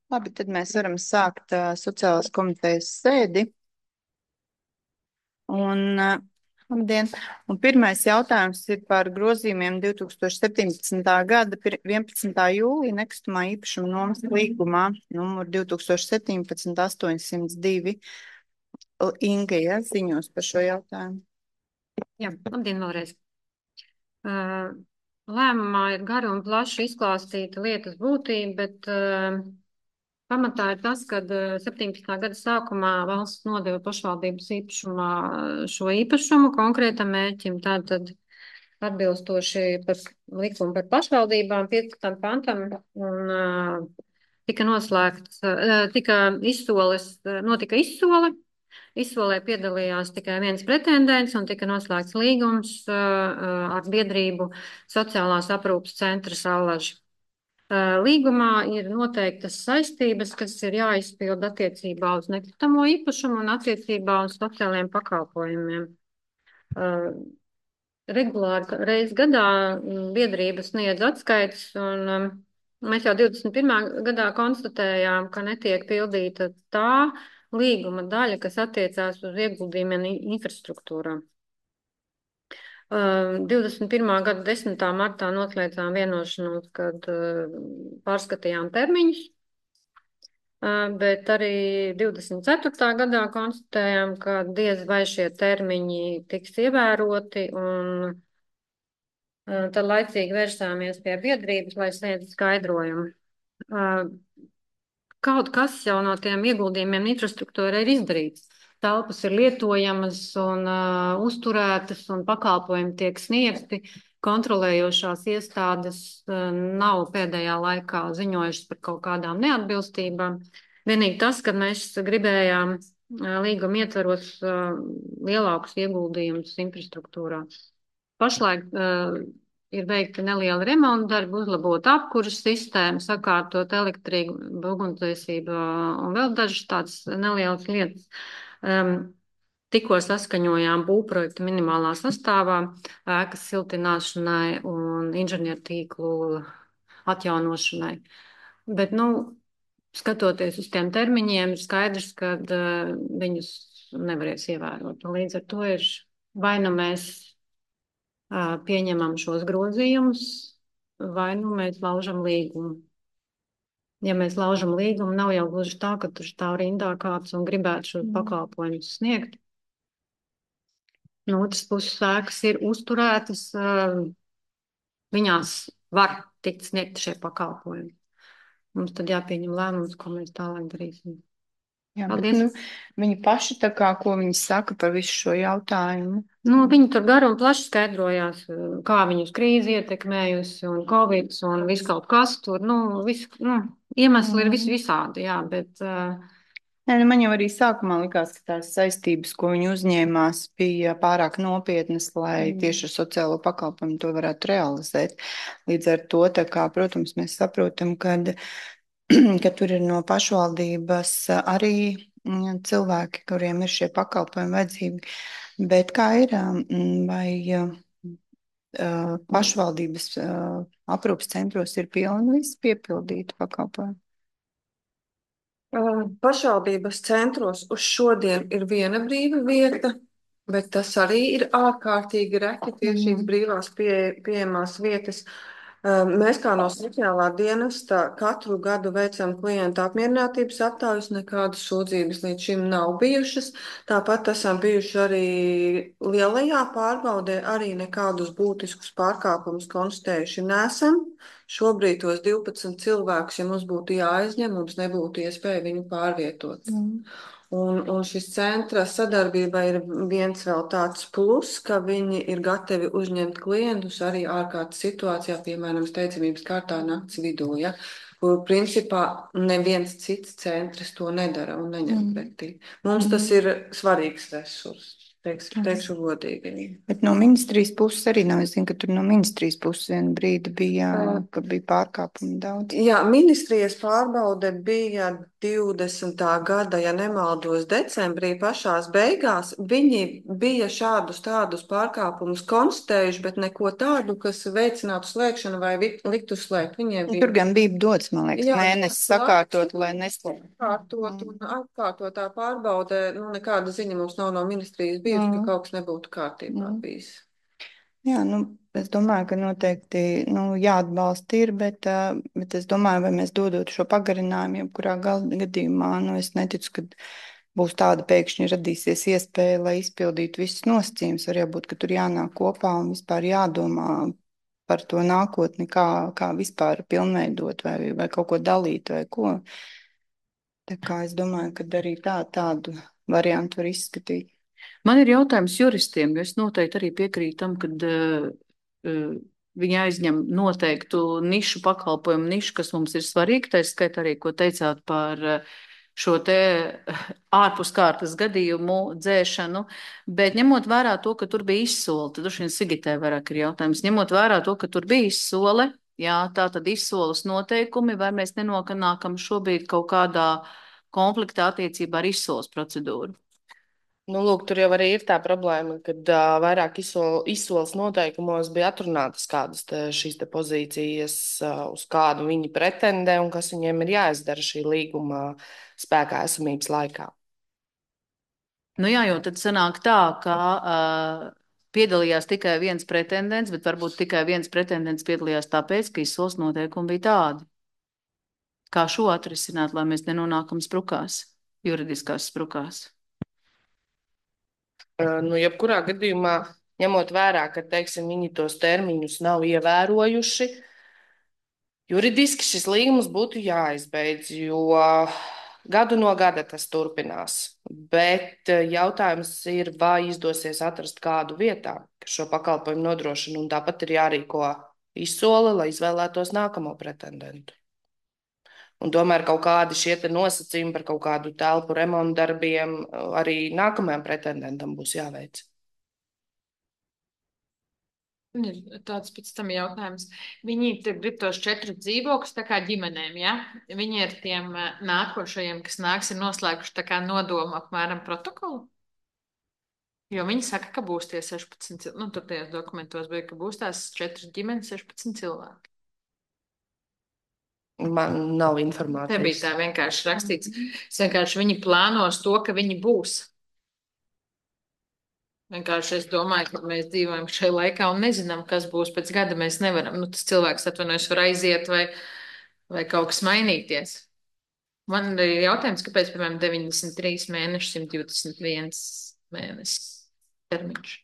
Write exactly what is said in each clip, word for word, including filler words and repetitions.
Labi, tad mēs varam sākt uh, sociālās komitejas sēdi. Un, uh, labdien. Un pirmais jautājums ir par grozījumiem divs tūkstoši septiņpadsmitā gada vienpadsmitā jūlija nekustamā īpašuma nomas līgumā numur divs tūkstoši septiņpadsmit astoņsimt divi. Inga, ja, ziņos par šo jautājumu. Jā, labdien vēlreiz. Uh, lēmumā ir gari un plaši izklāstīta lietas būtība, bet uh, pamatā ir tas, ka uh, septiņpadsmitā gada sākumā valsts nodeva pašvaldības īpašumā šo īpašumu konkrētam mērķim. Tātad atbilstoši par likumu par pašvaldībām piecpadsmitam pantam un uh, tika noslēgts, uh, tika izsoles, uh, notika izsole. Izsolē piedalījās tikai viens pretendents un tika noslēgts līgums uh, ar biedrību Sociālās aprūpes centra Saulaži. Uh, līgumā ir noteiktas saistības, kas ir jāizpild attiecībā uz nekustamo īpašumu un attiecībā uz sociālajiem pakalpojumiem. Uh, regulāri reiz gadā biedrība sniedz atskaites un um, mēs jau divdesmit pirmā gadā konstatējām, ka netiek pildīta tā līguma daļa, kas attiecās uz ieguldījumiem infrastruktūrā. Uh, divdesmit pirmā gada desmitā martā noslēdzām vienošanos, kad uh, pārskatījām termiņus, uh, bet arī divdesmit ceturtā gadā konstatējām, ka diez vai šie termiņi tiks ievēroti, un uh, tad laicīgi vērsāmies pie biedrības, lai sniegtu skaidrojumu. Uh, Kaut kas jau no tiem ieguldījumiem infrastruktūra ir izdarīts. Telpas ir lietojamas un uh, uzturētas un pakalpojumi tiek sniegti. Kontrolējošās iestādes uh, nav pēdējā laikā ziņojušas par kaut kādām neatbilstībām. Vienīgi tas, ka mēs gribējām uh, līguma ietvaros uh, lielākus ieguldījumus infrastruktūrā. Pašlaik uh, ir veikta neliela remonta darba, uzlabot apkuras sistēmu, sakārtot elektrību, ugunsdzēsību un vēl dažas tādas nelielas lietas. Um, tikko saskaņojām būvprojektu minimālā sastāvā, ēkas siltināšanai un inženiertīklu atjaunošanai. Bet, nu, skatoties uz tiem termiņiem, ir skaidrs, ka uh, viņus nevarēs ievērot. Līdz ar to ir vai nu mēs pieņemam šos grozījumus, vai nu mēs laužam līgumu. Ja mēs laužam līgumu, nav jau gluži tā, ka tur stāv rindā kāds un gribētu šos pakalpojumus sniegt. No otras puses, ēkas ir uzturētas, viņās var tikt sniegt šie pakalpojumi. Mums tad jāpieņem lēmums, ko mēs tālāk darīsim. Jā, bet, nu, viņi paši tā kā, ko viņi saka par visu šo jautājumu? Nu, viņi tur garu un plaši skaidrojās, kā viņus krīze ietekmējusi un covid un viss kaut kas tur, nu, vis, nu iemesli mm. ir vis visādi, jā, bet... Uh... Nē, nu, man jau arī sākumā likās, ka tās saistības, ko viņi uzņēmās, bija pārāk nopietnas, lai mm. tieši ar sociālo pakalpojumu to varētu realizēt. Līdz ar to, tā kā, protams, mēs saprotam, kad ka tur ir no pašvaldības arī cilvēki, kuriem ir šie pakalpojumi vajadzīgi. Bet kā ir, vai pašvaldības aprūpas centros ir pilni visi piepildīti pakalpojumi? Pašvaldības centros uz šodien ir viena brīva vieta, bet tas arī ir ārkārtīgi reti tie mm. šīs brīvās pie, pieejamās vietas. Mēs kā no sociālā dienesta katru gadu veicam klientu apmierinātības aptaujas, nekādas sūdzības līdz šim nav bijušas. Tāpat esam bijuši arī lielajā pārbaudē, arī nekādus būtiskus pārkāpumus konstatējuši nesam. Šobrīd tos divpadsmit cilvēkus, ja mums būtu jāaizņem, mums nebūtu iespēja viņu pārvietot. Mm. Un, un šis centra sadarbība ir viens vēl tāds plus, ka viņi ir gatavi uzņemt klientus arī ārkārtas situācijā, piemēram, steidzamības kārtā nakts vidū, ja, kur principā neviens cits centrs to nedara un neņem mm. pretī. Mums mm. tas ir svarīgs resurs. Teiks, teikšu godīgi. Bet no ministrijas puses arī nav. Es zinu, ka tur no ministrijas puses vienu brīdi bija, ka bija pārkāpumi daudz. Jā, ministrijas pārbaude bija divdesmitā gada, ja nemaldos, decembrī pašās beigās, viņi bija šādus tādus pārkāpumus konstatējuši, bet neko tādu, kas veicinātu slēgšanu vai vi- liktu slēgt. Viņiem Nu, bija tur gan bija dots, man liekas, Jā, mēnesis dots sakārtot, laiks. lai neslēgtu. atkārtot un atkārtotā pārbaude. Nu, nekāda ziņa mums nav no ministrijas bijusi, ka Mm. kaut kas nebūtu kārtībā Mm. bijis. Jā, nu, es domāju, ka noteikti nu, jāatbalsta ir, bet, ā, bet es domāju, vai mēs dodot šo pagarinājumu, jebkurā gal- gadījumā, nu, es neticu, ka būs tāda pēkšņi radīsies iespēja, lai izpildītu visus nosacījumus. Var jābūt, ka tur jānāk kopā un vispār jādomā par to nākotni, kā, kā vispār pilnveidot vai, vai kaut ko dalīt vai ko. Tā kā es domāju, ka arī tā, tādu variantu var izskatīt. Man ir jautājums juristiem, jo es noteikti arī piekrītu tam, ka uh, uh, viņi aizņem noteiktu nišu pakalpojumu, nišu, kas mums ir svarīgi. Tā skaitā arī, ko teicāt par uh, šo te ārpuskārtas gadījumu dzēšanu, bet ņemot vērā to, ka tur bija izsole, tad droši vien Sigitē vairāk ir jautājums, ņemot vērā to, ka tur bija izsole, jā, tā tad izsoles noteikumi, vai mēs nenonākam šobrīd kaut kādā konfliktā attiecībā ar izsoles procedūru? Nu, lūk, tur jau arī ir tā problēma, ka uh, vairāk izsol, izsoles noteikumos bija atrunātas kādas te, šīs te pozīcijas, uh, uz kādu viņi pretendē un kas viņiem ir jāizdara šī līguma spēkā esamības laikā. Nu jā, jo tad sanāk tā, ka uh, piedalījās tikai viens pretendents, bet varbūt tikai viens pretendents piedalījās tāpēc, ka izsoles noteikumi bija tādi. Kā šo atrisināt, lai mēs nenonākam sprukās, juridiskās sprukās? Uh, nu, jebkurā gadījumā, ņemot vērā, ka, teiksim, viņi tos termiņus nav ievērojuši, juridiski šis līgums būtu jāizbeidz, jo gadu no gada tas turpinās. Bet uh, jautājums ir, vai izdosies atrast kādu vietā, kas šo pakalpojumu nodrošina, un tāpat ir jārīko izsole, lai izvēlētos nākamo pretendentu. Un tomēr kaut kādi šie te nosacījumi par kaut kādu telpu remontu darbiem uh, arī nākamajam pretendentam būs jāveic. Ir tāds pēc tam jautājums. Viņi te grib tos četrus dzīvokļus tā kā ģimenēm, ja? Viņi ar tiem eh, nākošajiem, kas nāks, ir noslēguši tā kā nodomu apmēram protokolu? Jo viņi saka, ka būs tie sešpadsmit cilvēki. Nu, tur tajos dokumentos bija, ka būs tās četras ģimenes, sešpadsmit cilvēki. Man nav Te informācijas. bija tā vienkārši rakstīts. Es vienkārši viņi plānos to, ka viņi būs. Vienkārši es domāju, ka mēs dzīvojam šajā laikā un nezinām, kas būs pēc gada. Mēs nevaram, nu, tas cilvēks atvainojas var aiziet vai, vai kaut kas mainīties. Man ir jautājums, kāpēc, piemēram, deviņdesmit trīs mēneši, simt divdesmit viens mēnesis termiņš.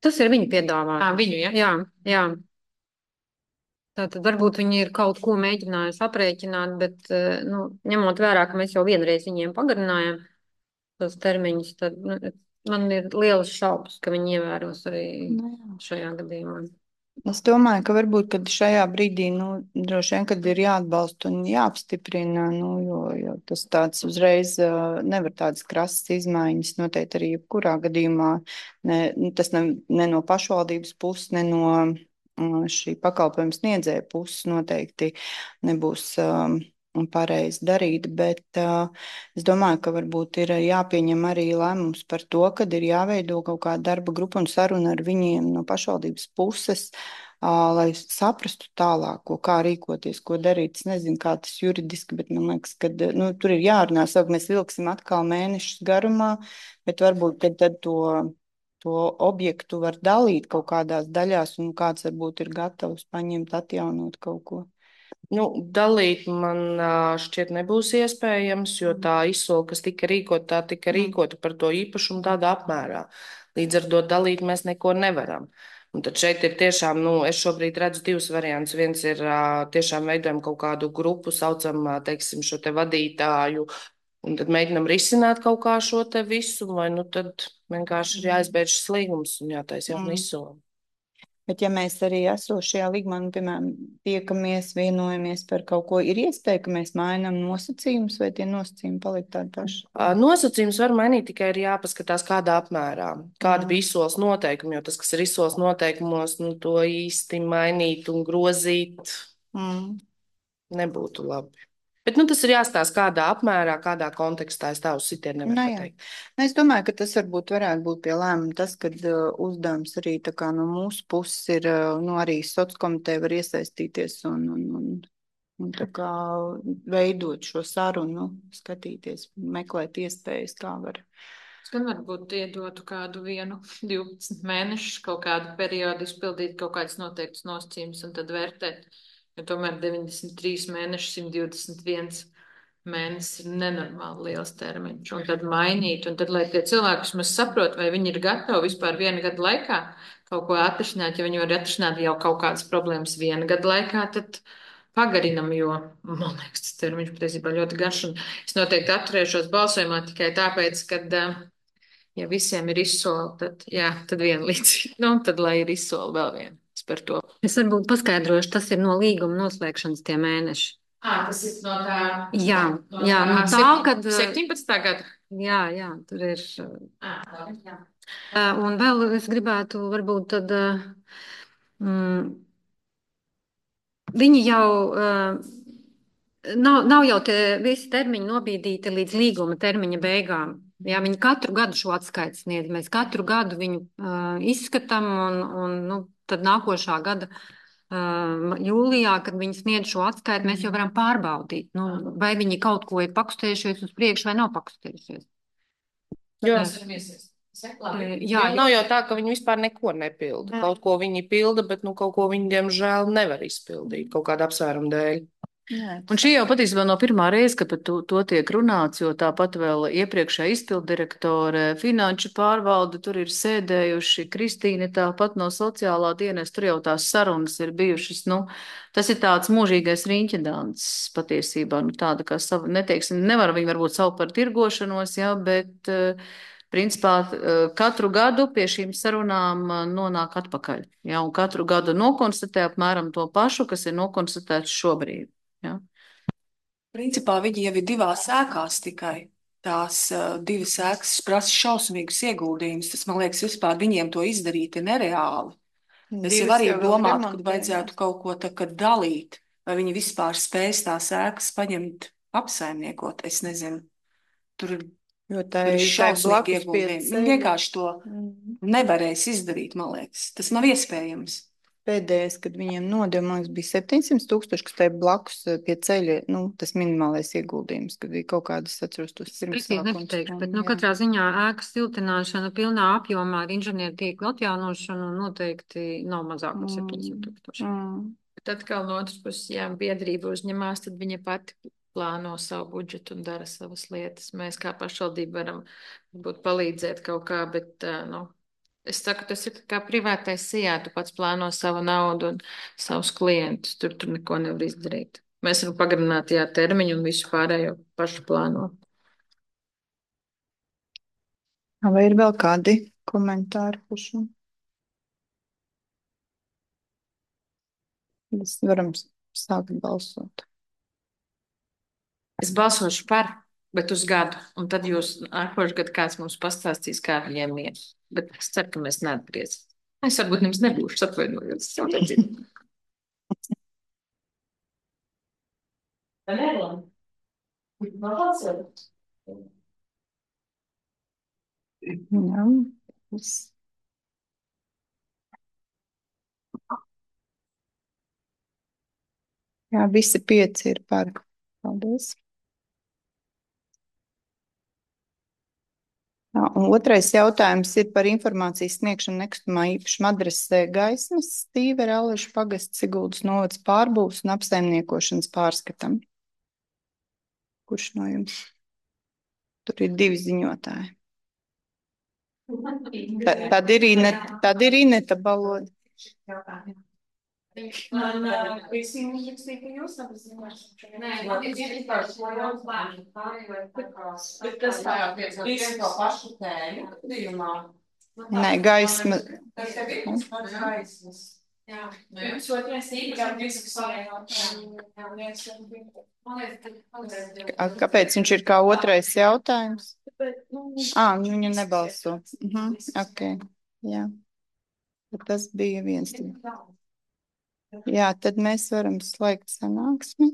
Tas ir viņa piedāvājums. Ā, viņu, ja? Jā, jā. Tātad varbūt viņi ir kaut ko mēģinājuši aprēķināt, bet, eh, nu, ņemot vērā, ka mēs jau vienreiz viņiem pagarinājām tos termiņus, tad nu, man ir lielas šaubas, ka viņi ievēros arī Nu, jā. šajā gadījumā. Es domāju, ka varbūt kad šajā brīdī, nu, droši vien, kad ir jāatbalsta un jāapstiprina, nu, jo, jo tas tāds uzreiz uh, nevar tādas krasas izmaiņas noteikti arī jebkurā gadījumā. Ne, nu, tas ne, ne no pašvaldības puses, ne no uh, šī pakalpojuma sniedzēja puses noteikti nebūs um, pareizi darīt, bet uh, es domāju, ka varbūt ir jāpieņem arī lēmums par to, kad ir jāveido kaut kāda darba grupa un saruna ar viņiem no pašvaldības puses, uh, lai saprastu tālāko, kā rīkoties, ko darīt. Es nezinu, kā tas juridiski, bet man liekas, ka nu, tur ir jārunā, savu mēs vilksim atkal mēnešus garumā, bet varbūt tad, tad to, to objektu var dalīt kaut kādās daļās un kāds varbūt ir gatavs paņemt, atjaunot kaut ko. Nu, dalīt man ā, šķiet nebūs iespējams, jo tā izsole, kas tika rīkota, tā tika rīkota par to īpašumu tādā apmērā. Līdz ar to dalīt mēs neko nevaram. Un tad šeit ir tiešām, nu, es šobrīd redzu divus variantus. Viens ir ā, tiešām veidojam kaut kādu grupu, saucam, ā, teiksim, šo te vadītāju, un tad mēģinam risināt kaut kā šo te visu, vai nu tad vienkārši ir jāizbeidz šis līgums un jātaisa jauna Mm. izsole. Bet ja mēs arī esošajā līgumā, nu, piemēram, tiekamies, vienojamies par kaut ko, ir iespēja, ka mēs mainām nosacījumus, vai tie nosacījumi paliek tādi paši? Ā, Nosacījums var mainīt, tikai ir jāpaskatās, kādā apmērā, kāda Mm. bija izsoles noteikumi, jo tas, kas ir izsoles noteikumos, nu, to īsti mainīt un grozīt. Mm. nebūtu labi. Bet nu, tas ir jāstāsta, kādā apmērā, kādā kontekstā. Es tā uz sitienu Nu, nevaru jā. pateikt. Nu, es domāju, ka tas varbūt varētu būt pie lēmuma tas, ka uh, uzdevums arī tā kā no mūsu puses ir, uh, nu, arī sociālkomiteja var iesaistīties un, un, un, un tā kā veidot šo sarunu, nu, skatīties, meklēt iespējas, kā var. Es gan varbūt iedotu kādu vienu, divpadsmit mēnešus, kaut kādu periodu izpildīt kaut kādas noteiktas nosacījumus un tad vērtēt. Jo tomēr deviņdesmit trīs mēneši, simt divdesmit viens mēnesis ir nenormāli liels termiņš. Un tad mainīt, un tad, lai tie cilvēki vismaz saprot, vai viņi ir gatavi vispār viena gada laikā kaut ko atrisināt, ja viņi var atrisināt jau kaut kādas problēmas viena gada laikā, tad pagarinam, jo, man liekas, tas termiņš patiesībā ļoti garš. Un es noteikti atturēšos balsojumā tikai tāpēc, ka, ja visiem ir izsoli, tad, jā, tad viena līdz, nu, tad lai ir izsoli vēl viena. Par to. Es varbūt paskaidrošu, tas ir no līguma noslēgšanas tie mēneši. À, tas ir no tā. Jā, no jā, no tā, kad. septiņpadsmitā gada. Jā, jā, tur ir. À, jā. Un vēl es gribētu varbūt tad. Mm, viņi jau. Nav, nav jau tie visi termiņi nobīdīti līdz līguma termiņa beigām. Jā, viņi katru gadu šo atskaiti sniedz. Mēs katru gadu viņu uh, izskatām, un, un nu, tad nākošā gada uh, jūlijā, kad viņi sniedz šo atskaiti, mēs jau varam pārbaudīt, nu, vai viņi kaut ko ir pakustējušies uz priekšu vai nav pakustējušies. Jo, Jā, jā, nav jau tā, ka viņi vispār neko nepilda. Kaut ko viņi pilda, bet nu, kaut ko viņi, diemžēl, nevar izpildīt kaut kāda apsvēruma dēļ. Jā. Un šī jau patiesībā no pirmā reize, ka par to, to tiek runāts, jo tāpat vēl iepriekšējā izpildirektore, finanšu pārvalde tur ir sēdējuši, Kristīne tāpat no sociālā dienas, tur jau tās sarunas ir bijušas, nu, tas ir tāds mūžīgais riņķedāns patiesībā, nu, tāda kā savu, neteiksim, nevar viņi varbūt savu par tirgošanos, jā, bet, principā, katru gadu pie šīm sarunām nonāk atpakaļ, jā, un katru gadu nokonstatē apmēram to pašu, kas ir nokonstatēts šobrīd. Jā. Principā viņi jau ir divās ēkās tikai. Tās uh, divas ēkas prasa šausmīgus ieguldījumus. Tas, man liekas, vispār viņiem to izdarīt ir nereāli. Es jau arī domātu, ka vajadzētu kaut ko tā kā dalīt, vai viņi vispār spēs tās ēkas paņemt, apsaimniekot. Es nezinu. Tur ir, jo tā tur ir ir šausmīgi ieguldījumi. Viņi vienkārši to mm. nevarēs izdarīt, man liekas. Tas nav iespējams. Pēdējais, kad viņiem nodeva, man liekas, bija septiņsimt tūkstoši, kas te blakus pie ceļa, nu, tas minimālais ieguldījums, kad bija kaut kādas, atceros, tos pirmsākums. Nepateikšu, bet, nu, katrā ziņā ēkas siltināšana pilnā apjomā ar inženieru tīklu atjaunošanu noteikti nav mazāk par septiņsimt tūkstoši. Mm. Bet atkal no otras puses, ja biedrība uzņemās, tad viņa pati plāno savu budžetu un dara savas lietas. Mēs kā pašvaldība varam būt palīdzēt kaut kā, bet, nu, es saku, tas ir kā privātais sijā, tu pats plāno savu naudu un savus klientus, tur tur neko nevar izdarīt. Mēs varam pagarināt, jā, termiņu un visu pārējo pašu plāno. Vai ir vēl kādi komentāri par šo? Mēs varam sākt balsot. Es balsošu par, bet uz gadu, un tad jūs nākošu gadu kāds mums pastāstīs, kā viņiem iet. Bet es ceru, ka mēs neatgriezīsim. Es varbūt nemaz nebūšu, atvainojos. Jā, es... Jā, visi pieci ir par. Paldies. Jā, un otrais jautājums ir par informācijas sniegšanu nekustamā īpašuma adresē Gaismas, Stīvera, Aleša pagasts, Siguldas novads pārbūves un apsaimniekošanas pārskatam. Kurš no jums? Tur ir divi ziņotāji. Ta, tad ir Ineta, tad ir Ineta Baloda. Man visiem uzrakstīja, ka jūs apzināšu. Nē, man ir vienkārši šo jautājumu pārēj vai pakās. Bet tas tā jau visu to pašu tēmu gadījumā. Nē, gaisma. Tas tev ir tas pats gaismas. Jā. Jums otrais īpašam diskusijai. Kāpēc viņš ir kā otrais jautājums? Ā, viņu nebalso. Mhm, ok, jā. Tas bija viens. Jā, tad mēs varam slēgt sanāksmi.